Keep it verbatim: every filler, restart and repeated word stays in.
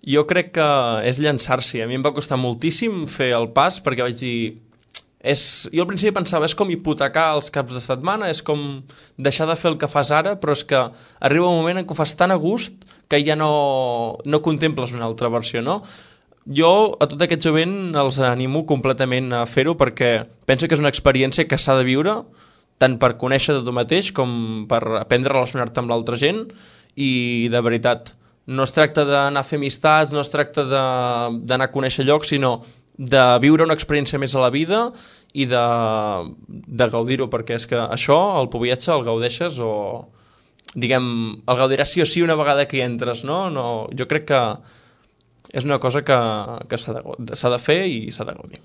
Jo crec que és llançar-s'hi. A mi em va costar moltíssim fer el pas perquè vaig dir... És... Jo al principi pensava, és com hipotecar els caps de setmana, és com deixar de fer el que fas ara, però és que arriba un moment en què ho fas tan a gust que ja no, no contemples una altra versió, no? Jo a tot aquest jovent els animo completament a fer-ho perquè penso que és una experiència que s'ha de viure tant per conèixer de tu mateix com per aprendre a relacionar-te amb l'altra gent i de veritat no es tracta d'anar a fer amistats, no es tracta d'anar a conèixer llocs, sinó de viure una experiència més a la vida i de, de gaudir-ho, perquè és que això, el viatge, el gaudeixes o, diguem, el gaudiràs sí o sí una vegada que hi entres, no? no jo crec que és una cosa que, que s'ha de, s'ha de fer i s'ha de gaudir.